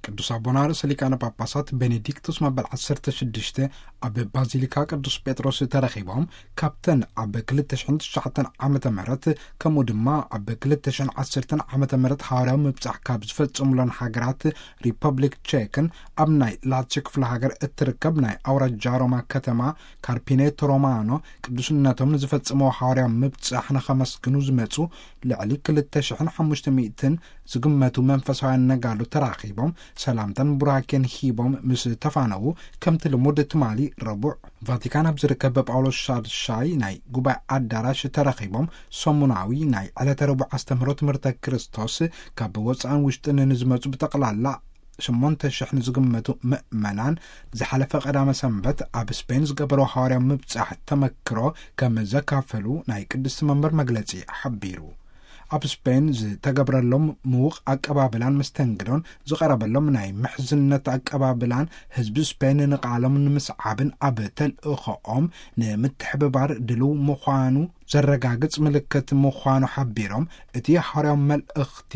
ቅዱስ ኣቦና ርእሰ ሊቃነ ጳጳሳት ቤኔዲክቱስ መበል ዓሰርተ ሽዱሽተ ኣብ ባዚሊካ ቅዱስ ጴጥሮስ ተረኺቦም፣ ካብተን ኣብ ክልተ ሽሕን ትሽዓተን ዓመተ ምህረት፣ ከምኡ ድማ ኣብ ክልተ ሽሕን ዓሰርተን ዓመተ ምህረት ሃዋርያዊ ምብጻሕ ካብ ዝፈጸሙለን ሃገራት ሪፐብሊክ ቼክን ኣብ ናይ ላትዮ ክፍለ ሃገር እትርከብ ናይ ኣውራጃ ሮማ ከተማ ካርፒኔቶ ሮማኖ ቅዱስነቶም ንዝፈጸመዎ ሃዋርያዊ ምብጻሕ ንኸመስግኑ ዝመጹ ልዕሊ ክልተ ሽሕን ሓሙሽተ ሚእትን ዝግመቱ መንፈሳውያን ነጋዶ ተራኺቦም ሰላምታን ቡራኬን ሂቦም ምስ ተፋነዉ፣ ከምቲ ልሙድ ትማሊ ረቡዕ ቫቲካን ኣብ ዝርከብ ጳውሎስ ሻድሻይ ናይ ጉባኤ ኣዳራሽ ተረኺቦም ሰሙናዊ ናይ ዕለተ ረቡዕ ኣስተምህሮ ትምህርተ ክርስቶስ ካብ ወፃእን ውሽጥን ንዝመፁ ብጠቕላላ ሸሞንተ ሽሕ ንዝግመቱ ምእመናን ዝሓለፈ ቀዳመ ሰንበት ኣብ ስፔን ዝገበሮ ሃዋርያዊ ምብጻሕ ተመክሮ ከም ዘካፈሉ ናይ ቅድስቲ መንበር መግለጺ ሓቢሩ። ኣብ ስፔን ዝተገብረሎም ምዉቕ ኣቀባብላን መስተንግዶን ዝቐረበሎም ናይ ምሕዝነት ኣቀባብላን ህዝቢ ስፔን ንቃሎም ንምስዓብን ኣብ ተልእኾኦም ንምትሕብባር ድልው ምዃኑ ዘረጋግጽ ምልክት ምዃኑ ሓቢሮም፣ እቲ ሃዋርያዊ መልእኽቲ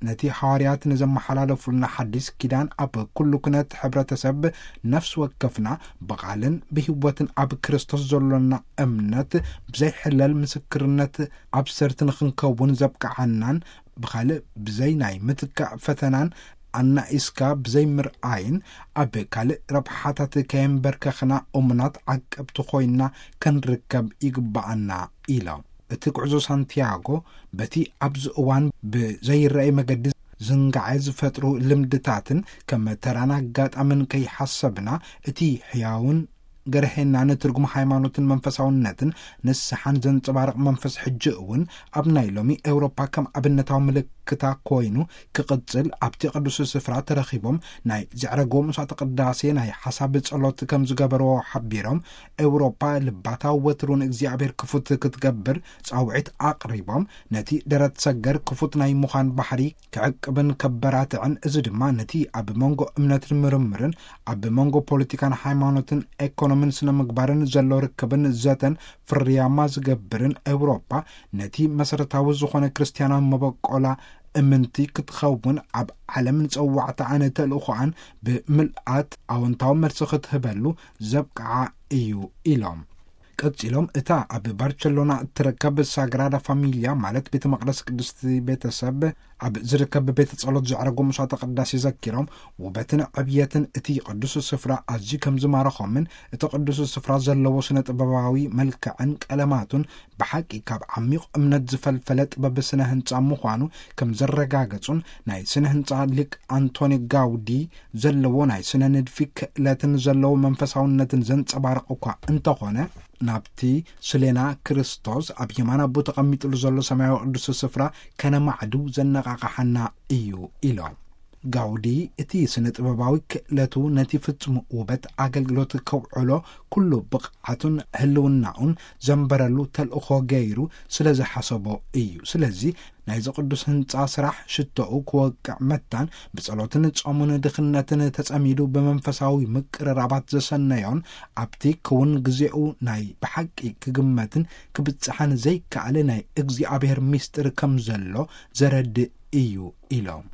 ነቲ ሃዋርያት ንዘመሓላለፉልና ሓዲስ ኪዳን ኣብ ኩሉ ኩነት ሕብረተሰብ ነፍሲ ወከፍና ብቓልን ብህይወትን ኣብ ክርስቶስ ዘሎና እምነት ብዘይሕለል ምስክርነት ኣብ ሰርት ንኽንከውን ዘብቅዓናን ብኻልእ ብዘይ ናይ ምትካእ ፈተናን ኣናኢስካ ብዘይ ምርኣይን ኣብ ካልእ ረብሓታት ከየንበርከኽና እሙናት ዓቀብቲ ኮይና ክንርከብ ይግብኣና ኢሎም። እቲ ጉዕዞ ሳንቲያጎ በቲ ኣብዚ እዋን ብዘይረኣይ መገዲ ዝንጋዐ ዝፈጥሩ ልምድታትን ከም ተራን ኣጋጣምን ከይሓሰብና እቲ ሕያውን ገርሄና ንትርጉም ሃይማኖትን መንፈሳውነትን ንስሓን ዘንጸባርቕ መንፈስ ሕጂ እውን ኣብ ናይ ሎሚ ኤውሮፓ ከም ኣብነታዊ ምልክታ ኮይኑ ክቕጽል ኣብቲ ቅዱስ ስፍራ ተረኺቦም ናይ ዘዕረግዎ መስዋዕተ ቅዳሴ ናይ ሓሳብ ጸሎት ከም ዝገበርዎ ሓቢሮም፣ ኤውሮፓ ልባታ ወትሩን እግዚኣብሔር ክፉት ክትገብር ጻውዒት ኣቕሪቦም፣ ነቲ ደረት ሰገር ክፉት ናይ ምዃን ባህሪ ክዕቅብን ከበራትዕን፣ እዚ ድማ ነቲ ኣብ መንጎ እምነትን ምርምርን ኣብ መንጎ ፖለቲካን ሃይማኖትን ኤኮኖምን ስነ ምግባርን ዘሎ ርክብን ዘተን ፍርያማ ዝገብርን፣ ኤውሮፓ ነቲ መሰረታዊ ዝኾነ ክርስትያናዊ መበቆላ እምንቲ ክትኸውን ኣብ ዓለም ንጸዋዕታ ኣነ ተልእኾኣን ብምልኣት ኣወንታዊ መልሲ ክትህበሉ ዘብቅዓ እዩ ኢሎም። ቀጺሎም፣ እታ ኣብ ባርቸሎና እትርከብ ሳግራዳ ፋሚልያ ማለት ቤተ መቕደስ ቅድስቲ ቤተሰብ ኣብ ዝርከብ ቤተ ጸሎት ዘዕረጎ መስዋዕተ ቅዳሴ ዘኪሮም፣ ውበትን ዕብየትን እቲ ቅዱስ ስፍራ ኣዝዩ ከም ዝማረኾምን እቲ ቅዱስ ስፍራ ዘለዎ ስነ ጥበባዊ መልክዕን ቀለማቱን ብሓቂ ካብ ዓሚቕ እምነት ዝፈልፈለ ጥበብ ስነ ህንጻ ምዃኑ ከም ዘረጋገጹን፣ ናይ ስነ ህንጻ ሊቅ ኣንቶኒ ጋውዲ ዘለዎ ናይ ስነ ንድፊ ክእለትን ዘለዎ መንፈሳውነትን ዘንጸባርቕ እኳ እንተኾነ፣ ናብቲ ስሌና ክርስቶስ ኣብ የማን ኣቦ ተቐሚጥሉ ዘሎ ሰማያዊ ቅዱስ ስፍራ ከነማዕዱ ዘነቓቕሓና እዩ ኢሎም። ጋውዲ እቲ ስነ ጥበባዊ ክእለቱ ነቲ ፍጹም ውበት ኣገልግሎት ከውዕሎ ኩሉ ብቕዓቱን ህልውናኡን ዘንበረሉ ተልእኾ ገይሩ ስለ ዝሓሰቦ እዩ። ስለዚ ናይዚ ቅዱስ ህንጻ ስራሕ ሽቶኡ ክወቅዕ መታን ብጸሎትን ጾሙን ድኽነትን ተጸሚዱ ብመንፈሳዊ ምቅርራባት ዘሰነዮን ኣብቲ ክውን ግዜኡ ናይ ብሓቂ ክግመትን ክብጽሓን ዘይከኣል ናይ እግዚኣብሔር ምስጢር ከም ዘሎ ዘረድእ እዩ ኢሎም።